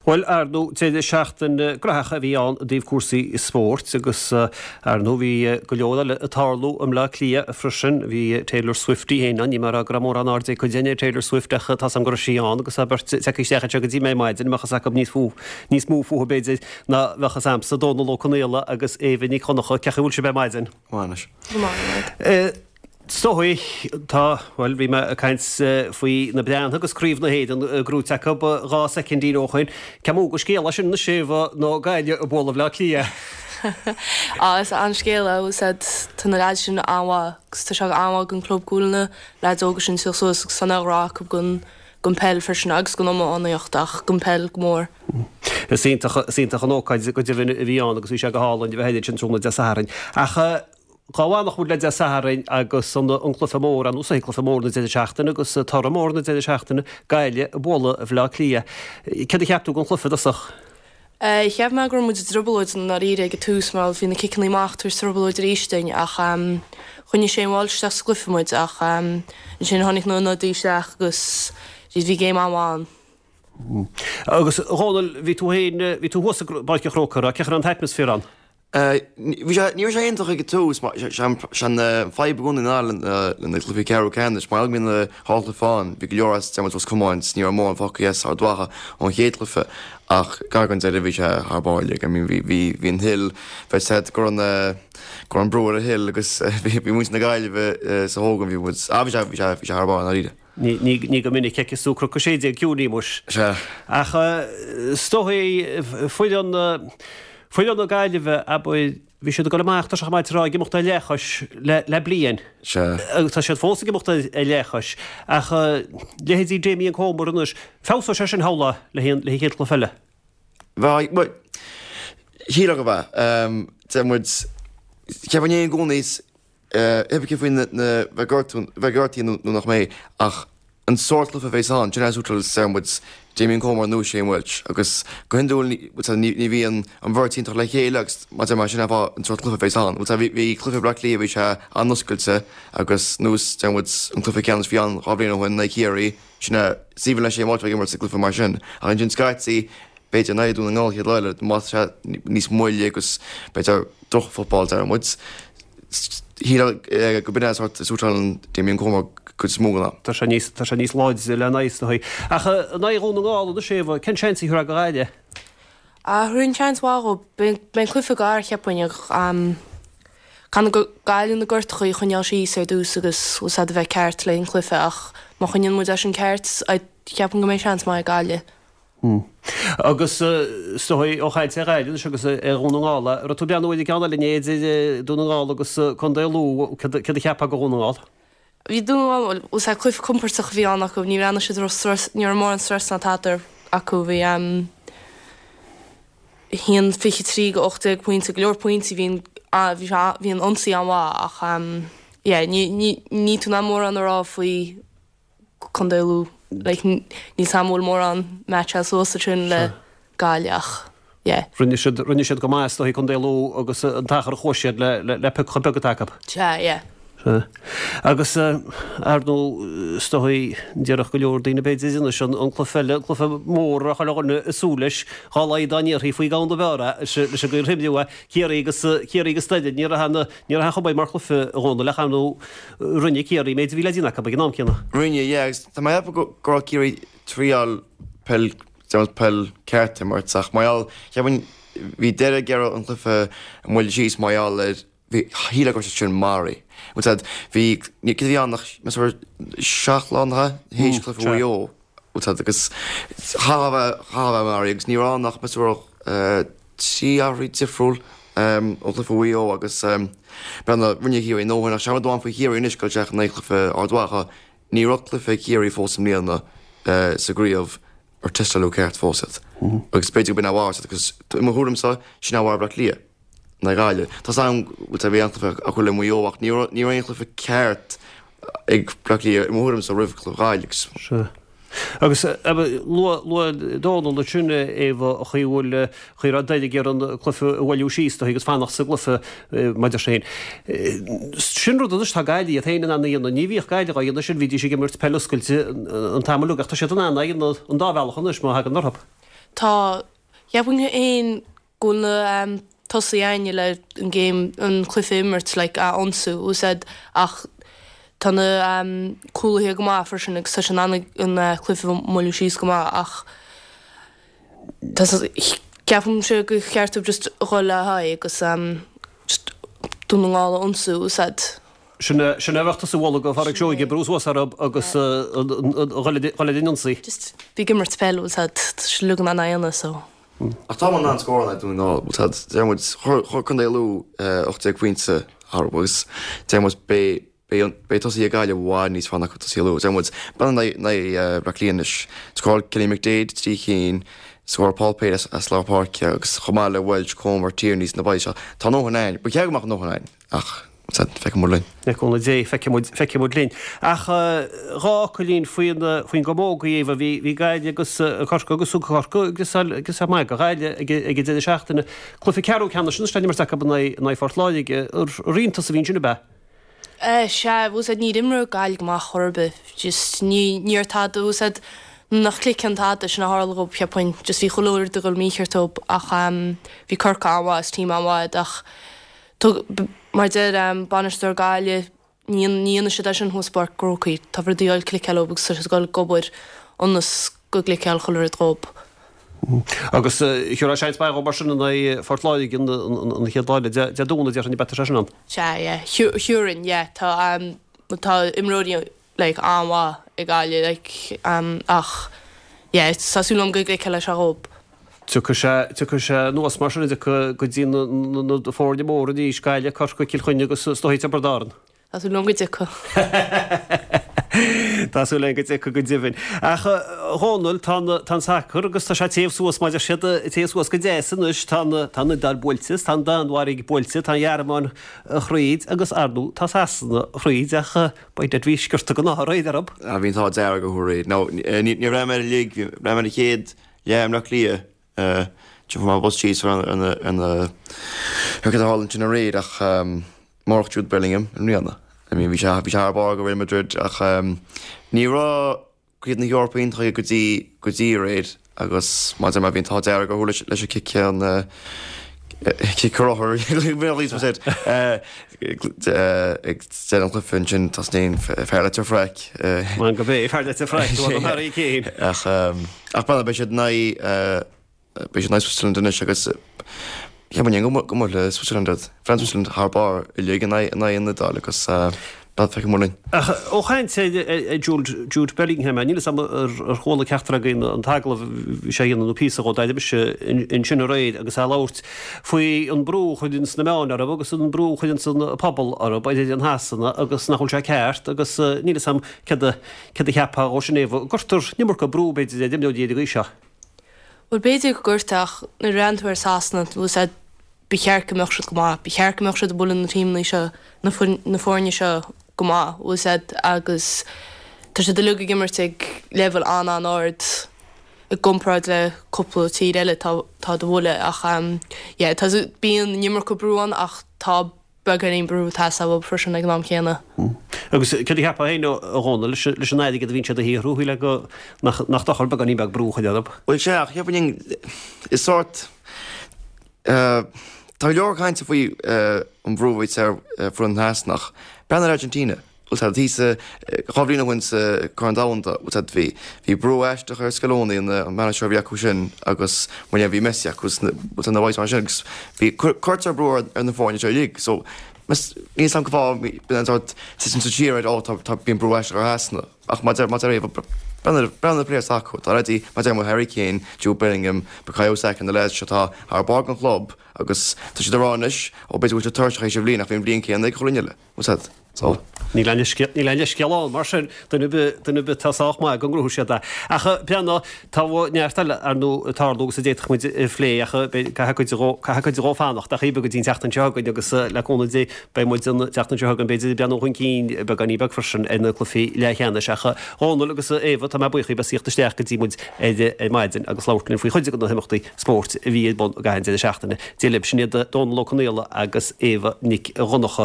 Bhuel, ar ndóigh, deireadh seachtaine graitheach a bhí ann i dtaobh cúrsaí spóirt agus, ar ndóigh, bhí go leor eile ag tarlú i mBleá Cliath freisin. Bhí Taylor Swift í féin ann. Níl mé ag rá go raibh mórán aird ag cuid againn ar Taylor Swift ach tá's agam go raibh sí ann agus tá beirt tagtha isteach anseo go dtí mé ar maidin, a mbeadh fhios acu níos fú, níos mó fúithi b'fhéidir ná bheadh fhios a'msa, Dónal Ó Conaola agus Éabha Nic Dhonncha. Cén chaoi a bhfuil sibh ar maidin? Go maith anois. Go maith. Is dóigh, tá, bhuel, bhí mé ag caint faoi na Breathnaigh agus Craobh na hÉireann gnóite acu 12 soicindín ó shoin. Cé mó de scéal é sin anois, Éabha, ná Gaillimh ag bualadh Bhaile Átha Cliath? Á, is an-scéal é, bhfuil 's a'd, tá na leaids sin an-mhaith agus tá sé an-mhaith don club go bhfuil na leaids óga sin ag tíocht suas agus tá an-ghrá acu don, don peil freisin agus don iománaíocht ach don peil go mór. Is iontach, is iontach an ócáid go deimhin a bhí ann agus bhí sé go hálainn a bheith ansin tráthnóna Dé Sathairn. Ach. Dá bhfanfadh muid le Dé Sathairn agus an cluiche mór, ar nós cluiche mór na deireadh seachtaine agus toradh mór na deireadh seachtaine, Gaillimh ag bualadh Bhaile Átha Cliath. Céard a cheap tú den chluiche i dtosach? Cheap mé go raibh muid i dtrioblóid i ndáiríre ag an tús mar bhí na ciceanna amach ag tabhairt trioblóid arís dúinn ach choinnigh Shane Walsh isteach sa gcluiche muid ach ansin tháinig na hionadaithe isteach agus bhí game an-mhaith ann. Agus a Dhónaill, bhí tú féin, bhí tú thuas i bPáirc an Chrócaigh, cén chaoi a raibh an t-atmaisféar ann? Ní raibh sé iontach ag an tús, mar sé an fadhb i gcónaí ná le na cluichí ceathrú ceannais, mar go mbíonn na dhá chluiche ann, bhí go leor as Dermot Ros Comáin is ní raibh mórán fágtha as Ard Mhacha ón chéad chluiche ach gar don deireadh bhí sé thar barr like, I mean bhí bhí bhí an Hill, bhí said go raibh na go raibh an brú ar an Hill agus bhí bhí muintir na Gaillimhe sa thógáil bhí muid, ah bhí sé bhí sé bhí sé thar barr i ndáiríre. Ní go minic a fheiceas tú Cnoc 16 ciúin, muis. Sea. Ach is dóigh foireann, foireann na Gaillimhe, abair, bhí siad ag dul amach, tá sé chomh maith a rá, ag imeacht ar leathchois le, le bliain. Sea. Agus tá siad fós ag imeacht ar, ar leathchois. Ach leithéidí Damien Comer anois, feabhsóidh sé sin shamhlófá le haghaidh an, le haghaidh an chéad chluiche eile. Bheadh, bhuel, shílfeá go mbeadh. Deir muid, ceapann éinne i gcónaí, Pé faoi na bheith gortaithe nó nach mbeidh, ach an sórt cluiche a bheas ann, sin é suiteáil deir muid Damien Comer nó Shane Walsh agus go hiondúil ní bhíonn an bheirt iontach le chéile agus mar deir mé sin é an fáth an sórt cluiche a bheas ann. Bhí cluiche Bhaile Átha Cliath bhí sé an-oscailte agus nós deir muid an cluiche ceannais a bhí ann 2 bhliain ó shin in aghaidh Chiarraí, sin é is aoibhinn le Shane Walsh a bheith ag imirt sa gcluiche mar sin ach ansin scaití b'fhéidir in aghaidh Dún na nGall chéad lá eile má tá sé níos moille agus b'fhéidir droch-football deir muid. Shílfeá go b'in é sórt a suiteálann Damien Comer cuid is mó den am. Tá sé níos, tá sé níos láidre lena aghaidh is dóigh. Ach in aghaidh Dhún na nGall anois, Éabha, cén seans a thabharfá do Ghaillimh? Thabharfainn seans mhaith dhóibh. Beidh an cluiche gar, cheapfainn, ach caithfidh Gaillimh na gortachaí a choinneáil síos ar dtús agus bhfuil 's a'd a bheith ceart le an cluiche ach má choinníonn muid é sin ceart, cheapfainn go mbeidh seans maith ag Gaillimh. Agus is dóigh, ó chaint ar Ghaillimh anois agus ar Dhún na nGall, an raibh tú ag breathnú ar an gceann eile inné idir Dún na nGall agus Contae Lú, céard a cheapfá de Dhún na nGall? Bhí Dún na nGall, bhuel, is é cluiche compordach a bhí ann acu, ní bhreathnaigh siad raibh strus, ní raibh mórán stress ná tada acu, bhí 1:23 go 18 pointe, go leor pointí, bhí an, bhí sé, bhí an ionsaí an-mhaith ach yeah, ní, ní, níl tú in ann mórán a rá faoi Contae Lú. Like, níl 's a'm an bhfuil mórán match suas ansin le Gaillimh ach yeah. Rinne siad, rinne siad go maith is dóigh Contae Lú agus an t-achar a chuaigh siad le, le, le pioc chomh beag atá acu. Sea, yeah. Sea. Agus ar ndóigh, is dóigh, déarfadh go leor daoine b'fhéidir anois an, an cluiche eile, an cluiche mór a raibh chuile dhuine ag súil leis, dhá laghad dá ndéarfaí faoi ghabhann dob fhearr é, leis an gcaoi ar himríodh é, Ciarraí agus, Ciarraí agus Doire, ní raibh aon, ní raibh aon chuma air mar chluiche a Dhónaill ach ar ndóigh, Rinne Ciarraí méid a bhí le déanamh acu ag an am céanna. Rinne, yeah, agus tá mé ag ceapadh go raibh Ciarraí ag triáil peil, déanamh peil ceart a imirt ach mar gheall, cheapfainn, bhí Doire ag iarraidh an cluiche a mhoilliú síos mar gheall ar, bhí, shílfeá go raibh siad sin maraithe. Bhfuil 's a'd, bhí, cad a bhí ann ach, meas tú, 7 lá nach ea, théis cluiche Mhaigh Eo, bhfuil 's a'd, agus chaithfeá a bheith, chaithfeá a bheith maraithe agus ní raibh ann ach meas tú 3 athrú difriúil ó chluiche Mhaigh Eo agus breathnaigh, rinne Ciarraí a ndóthain ach sé an rud amháin faoi Chiarraí anois ag dul isteach in aghaidh chluiche Ard Mhacha, ní raibh cluiche ag Ciarraí fós i mbliana sa gcraobh ar tástáladh ceart fós iad agus b'fhéidir go b'in a mhair agus i mo thuairimse sin a mharaigh Bleá Cliath in aghaidh Gaillimh. Tá 's agam go bhfuil bhí an-chluiche acu le Maigh Eo ach ní raibh aon chluiche ceart ag Bleá Cliath i mo thuairimse roimh chluiche Ghaillimh agus. Sea. Agus luaigh Dónal ansin, a Éabha, an chaoi a bhfuil, an chaoi a raibh Doire ag iarraidh an cluiche a mhoilliú síos dóibh agus fanacht sa gcluiche maidir sin. Sin rud anois atá Gaillimh iad féin in ann a dhéanamh. Ní bhíodh Gaillimh á dhéanamh sin, bhídís ag imirt peil oscailte an t-am uilig ach tá siad in ann é a dhéanamh an dá bhealach anois má thagann orthu. Tá, cheapfainn féin go bhfuil na tosaithe againne le an game, an cluiche a imirt, like, a ionsú, bhfuil 's a'd, ach tá na cúlaithe go maith freisin agus tá siad in ann an cluiche a mhoilliú síos go maith ach tá, ceapaimse gur cheart dóibh just a dhul le haghaidh agus just Dún na nGall a ionsú, bhfuil 's a'd. Sin é, sin é a bheadh tusa a mholadh do Pháraic Seoige, brú suas orthu agus dhul ar an ionsaí. Just bí ag imirt peil, bhfuil 's a'd, tá siad uilig in ann é a dhéanamh so. Ach tá muid in ann scóráil in aghaidh Dún na nGall, bhfuil 's a'd, deir muid, chuir, chuir Contae Lú 18 pointe orthu agus deir muid beidh, beidh, beidh tosaithe Gaillimh i bhfad níos fearr ná tosaithe Lú. Deir muid, breathnaigh in aghaidh Bleá Cliath anois, scóráil Kenny McDaid 3 chinn, scóráil Paul Pate as, as lár páirce agus chomh maith le Walsh, Comer, Tierney sna boys seo, tá a ndóthain a'inn, ba cheart go mbeadh a ndóthain a'inn ach feicfidh muid linn. Le cúnamh Dé, feicfidh muid, feicfidh muid linn. Ach dhá fhocailín faoin, faoin gcamógaí, Éabha. Bhí, bhí Gaillimh agus Corcaigh agus thug Corcaigh griosáil, griosáil maith do Ghaillimh ag, ag an deireadh seachtaine. Cluiche ceathrú ceannais anois le n-imirt acu in aghaidh, in aghaidh Phort Láirge. Ar iontas a bhí ansin, ab ea? Sea, bhfuil 's a'd, níor imir Gaillimh go maith chor ar bith. Just ní, ní raibh tada, bhfuil 's a'd, nach cliceann tada, sin a tharla dhób, cheapfainn. Just bhí chuile rud ag dul mícheart dóibh ach bhí Corcaigh an-mhaith, is team an-mhaith iad ach Mar a deir bainisteoir Gaillimh, ní dhéanfaidh siad é sin thuas i bPáirc an Chrócaigh. Tá rudaí ag dul cliceáil dóibh agus tá siad ag dul ag obair ionas go gcliceáil chuile rud dhób. Agus thiúrfá seans maith dhób mar sin in aghaidh Phort Láirge an chéad lá eile Dé Domhnaigh, déarfainn, ab ea tá sé sin ann? Sea, yeah. Thiúrfainn, yeah. Tá tá imreoirí like an-mhaith ag Gaillimh like ach yeah tá súil agam go gcliceálfaidh sé dhób. Tiocfaidh sé, tiocfaidh sé anuas mar sin, tiocfaidh go dtí na, na, na foirne móra arís, Gaillimh, Corcaigh, Cill Chainnigh agus is dóigh Tiobraid Árann. Tá súil agam go dtiocfaidh. Tá súil agam go dtiocfaidh go deimhin. Ach a Dhónaill, tá an, tá an sacar agus tá sé ag téamh suas mar a deir siad, ag téamh suas go deas anois, tá an, tá an Iodáil buailte, tá an Danmhairg buailte, tá an Ghearmáin thríd agus ar ndóigh tá Sasana thríd ach by dad bhí sciorta den ádh aréir orthu. Bhí an t-ádh dearg orthu aréir. Now, ní, ní raibh mé ar an lig, bhí mé ar an chéad leath i mBleá Cliath, fuair mé bus síos ar na, ar na, ar cad a tharla ansin aréir ach murach Jude Bellingham i mbliana. I mean bhí sé, bhí sé thar barr do Real Madrid ach ní raibh Craobh na hEorpa iontaithe go dtí, go dtí aréir agus mar a deir mé bhí an t-ádh dearg orthu leis, leis an cic an cic rothar ag deireadh an chluiche ansin tosnaíonn fear Leitir Fraic. Man go bé fear Leitir Fraic Harry Kane. Ach ach b'fhéidir beidh siad in aghaidh beidh siad in aghaidh Switzerland anois agus cheapfainn go go mbuailfidh Switzerland iad. Bhí Switzerland thar barr uilig in aghaidh in aghaidh an Iodáil agus feicfidh muid linn. Ach ó chaint ar Jude Jude Bellingham, níl 'fhios a'm ar chuala ceachtar againn an t-agallamh a bhí sé a dhéanamh nó píosa dhó, d'airigh mise ansin aréir agus é ag labhairt faoi an brú a chuireanns na meáin orthu agus an brú a chuireanns an pobal orthu ar fhoireann Shasana agus nach bhfuil sé ceart agus níl 'fhios a'm céard a céard a cheapfá dhó sin Éabha, an gcuirtear an iomarca brú b'fhéidir ar imreoirí ar an gcaoi seo. Bhuel b'fhéidir go gcuirtear ach nuair a bhreathnaíonn tú ar Sasana, bhfuil 'fhios a'd, ba cheart go mbeadh siad go maith, ba cheart go mbeadh siad ag bualadh na tímeanna seo, na na foirne seo go maith, bhfuil 'fhios a'd, agus tá siad uilig ag imirt ag leibhéal an-an-ard i gcomparáid le cúpla tír eile atá atá do bhualadh ach yeah tá bíonn an iomarca brú ann ach tá beagáinín brú ag teastáil uathu freisin ag an am céanna. Agus céard a cheapfá féin, a Dhónaill, leis an airgead a bhíonn siad a shaothrú, shílfeá go nach dochar beagáinín beag brú a chur orthu? Bhuel, sea, ach cheapfainn, is sórt, tá go leor cainte faoi an bhrú a bhíos ar foireann Shasanach. Breathnaigh ar Argentina. Bhfuil 's a'd, thíos dhá bhliain ó shin sa Chorn Domhanda, bhfuil 's a'd, bhí, bhí brú aisteach ar Scaloni, an an manager a bhí acu sin agus mar dhea bhí Messi acu agus na, bhfuil 's a'd, na boys mar sin agus bhí, cuirtear brú ar, ar na foirne seo uilig so níl 'fhios a'm cén fáth, bíonn an sórt tuiscint sa tír ar, oh tá, tá, bíonn brú aisteach ar Shasana ach mar a deir, mar a deir Éabha, breathnaigh, breathnaigh ar na players atá acu, tá leaidí, mar a deir muid Harry Kane, Jude Bellingham, Bukayo Saka, na lads seo atá thar barr don chlub agus tá siad ag rá anois, ó b'fhéidir go bhfuil siad tuirseach théis an bhliain ach bhí an bhliain céanna ag chuile dhuine eile. Bhfuil 's a'd. So. Níl aon leithscéal, níl aon leithscéal ann, mar sin, duine ar bith, duine ar bith atá sách maith go ngnóthóidh siad é. Ach breathnaigh, tá neart eile, ar ndóigh, ag tarlú agus a d'fhéadfadh muid a phlé ach beidh, caithfidh cuid dhó, caithfidh cuid dhó fanacht ach go dtí an tseachtain seo chugainn agus le cúnamh Dé beidh muid an tseachtain seo chugainn b'fhéidir ag breathnú chun cinn beagáinín beag freisin ar na cluichí leathcheannais. Ach a Dhónaill agus a Éabha, tá mé buíoch daoibh as theacht isteach go dtí muid ar ar maidin agus labhairt linn faoi chuid de na himeachtaí spóirt a bhí ar bun i gcaitheamh an deireadh seachtaine. Dia libh, sin iad Dónal Ó Conaola agus Éabha Nic Dhonncha.